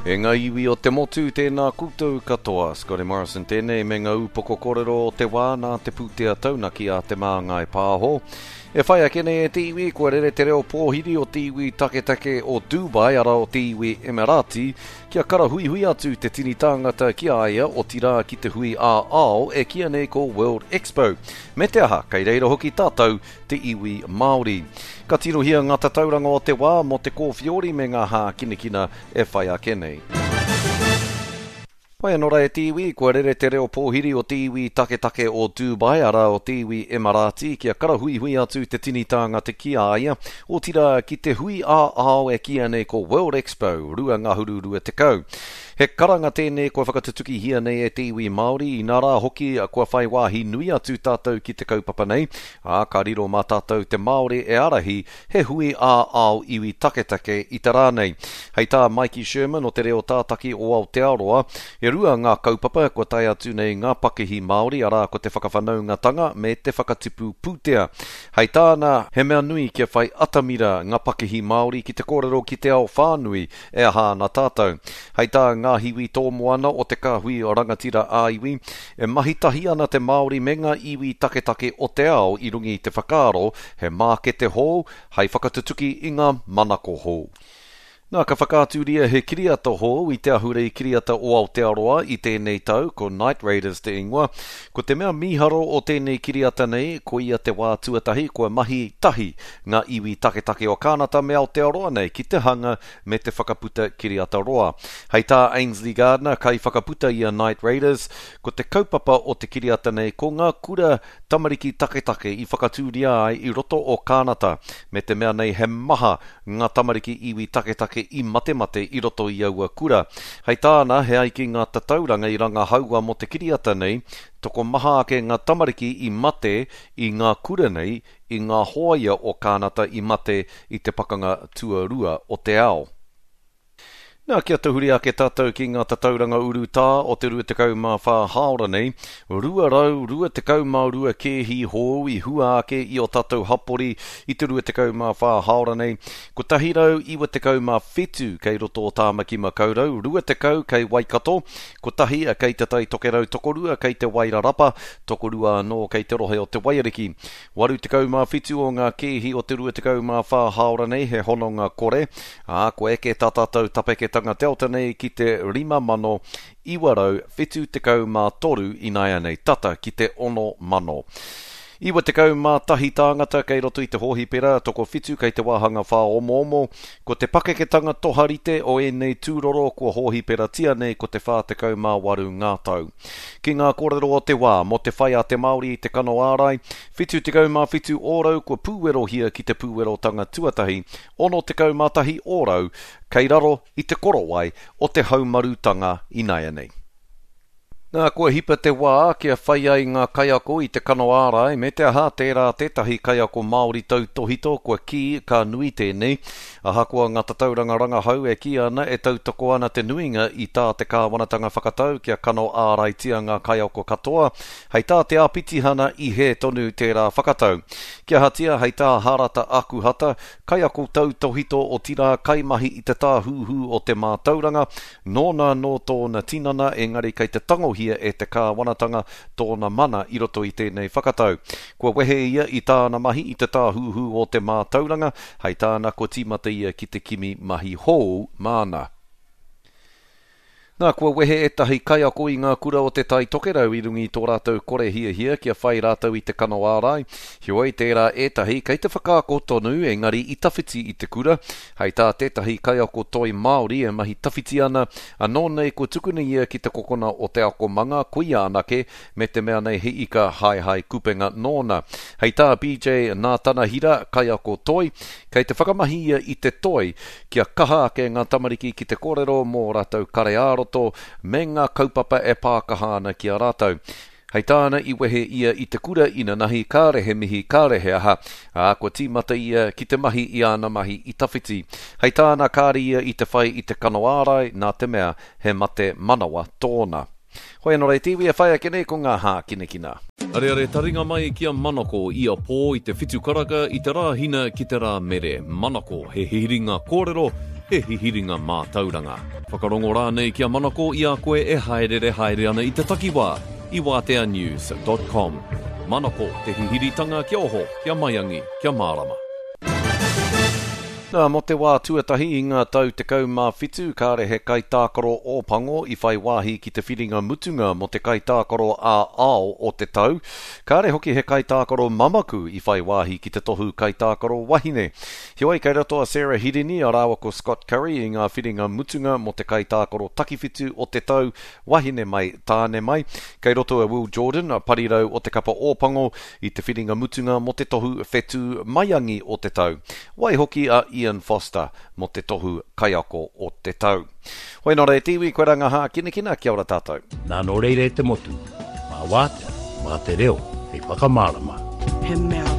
E ngā iwi o te motu, tēnā koutou katoa. Scotty Morrison tēnei me ngā upoko kōrero o te wā nā te pūtea taunaki a Te Māngai Pāho. E whai ake nei e te iwi, kua rere te reo pōhiri o te iwi taketake o Dubai, arā o te iwi Emirati, kia karahuihui atu te tini tāngata ki a ia, otirā ki te hui ā-ao e kīia nei ko World Expo. Me te aha, kei reira hoki tātou te iwi Māori. Ka tirohia ngā tatauranga o te wā mō te kōwhiori me ngā hākinakina e whai ake nei. Whai anō rā e te iwi, kua rere te reo pōhiri o te iwi taketake o Dubai, arā o te iwi Emarati, kia karahuihui atu te tini tāngata ki a ia, otirā ki te hui ā-ao e kīia nei ko World Expo 2020. He karanga tēnei kua whakatutukihia nei e te iwi Māori, inā rā hoki kua whai wāhi nui atu tātou ki te kaupapa nei, ā, ka riro mā tātou te Māori e ārahi he hui ā-ao iwi taketake i te rā nei. Hei tā Maiki Sherman o Te Reo Tātaki o Aotearoa, e rua ngā kaupapa kua tae atu nei ngā pakihi Māori, arā ko te whakawhanaungatanga me te whakatipu pūtea. Hei tāna, he mea nui kia whai atamira ngā pakihi Māori ki te kōrero ki te ao whānui E aha ana tātou? Hei tā Ngāhiwi Tōmoana o Te Kāhui Rangatira ā-Iwi, e mahi tahi ana te Māori me ngā iwi taketake o te ao i runga i te whakaaro he mākete hou hei whakatutuki i ngā manako hou. Nā, ka whakaaturia he kiriata hou i te Ahurei Kiriata o Aotearoa i tēnei tau, ko Night Raiders te ingoa. Ko te mea mīharo o tēnei kiriata nei, koia te wā tuatahi kua mahi tahi ngā iwi taketake o Kānata me Aotearoa nei ki te hanga me te whakaputa kiriata roa. Hei tā Ainsley Gardiner, kaiwhakaputa i a Night Raiders, ko te kaupapa o te kiriata nei ko ngā kura tamariki taketake i whakatūria ai i roto o Kānata, me te mea nei he maha ngā tamariki iwi taketake i matemate i roto i aua kura. Hei tāna, he ai ki ngā tatauranga i rangahaua mō te kiriata nei, tokomaha ake ngā tamariki i mate i ngā kura nei i ngā hōia o Kānata i mate i te Pakanga Tuarua o te Ao. Nā, kia tahuri ake tātou ki ngā tatauranga urutā o te 24 hāora nei, 222 kēhi hou i hua ake i ō tātou hapori i te 24 hāora nei, 197 kei roto o Tāmaki Makaurau, 20 kei Waikato, kotahi kei Te Tai Tokerau, tokorua kei Te Wairarapa, tokorua anō kei te rohe o Te Waiariki. 87 o ngā kēhi o te 24 hāora nei he hononga kore, ā, kua eke tā tātou tapeketanga Delta nei ki te 5,973 ināianei, tata ki te 6,000. 91 tāngata kei roto i te hōhipera, tokowhitu kei te wāhanga whāomoomo. Ko te pakeketanga toharite o ēnei tūroro kua hōhiperatia nei ko te 48 ngā tau. Ki ngā kōrero o te wā mō te whai a te Māori i te kano ārai, 77 ōrau kua pūwerohia ki te pūwerotanga tuatahi, 61 ōrau kei raro i te korowai o te haumarutanga inaianei. Nā, kua hipa te wā kia whai ai ngā kaiako i te kano ārai, me te aha, tērā tētahi kaiako Māori tautōhito kua kī ka nui tēnei. Ahakoa ngā tatauranga rangahau e kī ana e tautoko ana te nuinga i tā te kāwanatanga whakatau kia kano āraitia ngā kaiako katoa, hei tā te āpitihana i hē tonu tērā whakatau. Kia ahatia, hei tā Harata Akuhata, kaiako tautōhito otirā kaimahi i te Tāhuhu o te Mātauranga, Nōna anō tōna tinana, engari kei te tangohia e te kāwanatanga tōna mana i roto i tēnei whakatau. Kua wehe ia i tāna mahi i te Tāhuhu o te Mātauranga, hei tāna kua tīmata ia ki te kimi mahi hou māna. Nā, kua wehe ētahi kaiako i ngā kura o Te Tai Tokerau i runga i tō rātou kore hiahia kia whai rātou i te kano ārai. Heoi, tērā ētahi kei te whakaako tonu engari i tawhiti i te kura, Hei tā tētahi kaiako toi Māori e mahi tawhiti ana, anō nei kua tukuna ia ki te kokona o te akomanga, koia anake, me te mea nei he ika haehae kupenga nōna. Hei tā BJ Nātanahira, kaiako toi, kei te whakamahi ia i te toi kia kaha ake ngā tamariki ki te kōrero mō ō rātou kare ā-roto me ngā kaupapa e pākaha ana ki a rātou. Hei tāna i wehe ia i te kura inanahi kāre he mihi kāre he aha, ā, kua tīmata ia ki te mahi i āna mahi i tawhiti. Hei tāna kāre ia i te whai i te kano ārai nā te mea he mate manawa tōna. Hoi anō rā e te iwi e whai ake nei ko ngā hākinakina. Areare taringa mai ki a Manako ia pō i te whitu karaka i te Rāhina ki te Rāmere. Manako, he hiringa kōrero. he hihiringa mātauranga. Whakarongo rānei ki a Manako i a koe e hāereere haere ana i te takiwā i wāteanews dot com. Manako, te hihiritanga kia oho, kia maiangi, kia mārama. Nā, mō te wā tuatahi i ngā tau 17, kāre he kaitākaro Ōpango i whai wāhi ki te whiringa mutunga mō te kaitākaro ā-ao o te tau. Kāre hoki he kaitākaro mamaku i whai wāhi ki te tohu kaitākaro wahine. Heoi, kei roto a Sarah Hirini a rāua ko Scott Curry i ngā whiringa mutunga mō te kaitākaro takiwhitu o te tau, wahine mai, tāne mai. Kei roto a Will Jordan, parirau o te kapa Ōpango, i te whiringa mutunga mō te tohu whetū maiangi o te tau. Waihoki a Ian Foster mō te tohu kaiako o te tau. Hoi nō reira te iwi, koirā ngā hākinakina, kia ora tātou. Nā nō reira e te motu, mā Wātea, mā te reo hei whakamārama. He mea.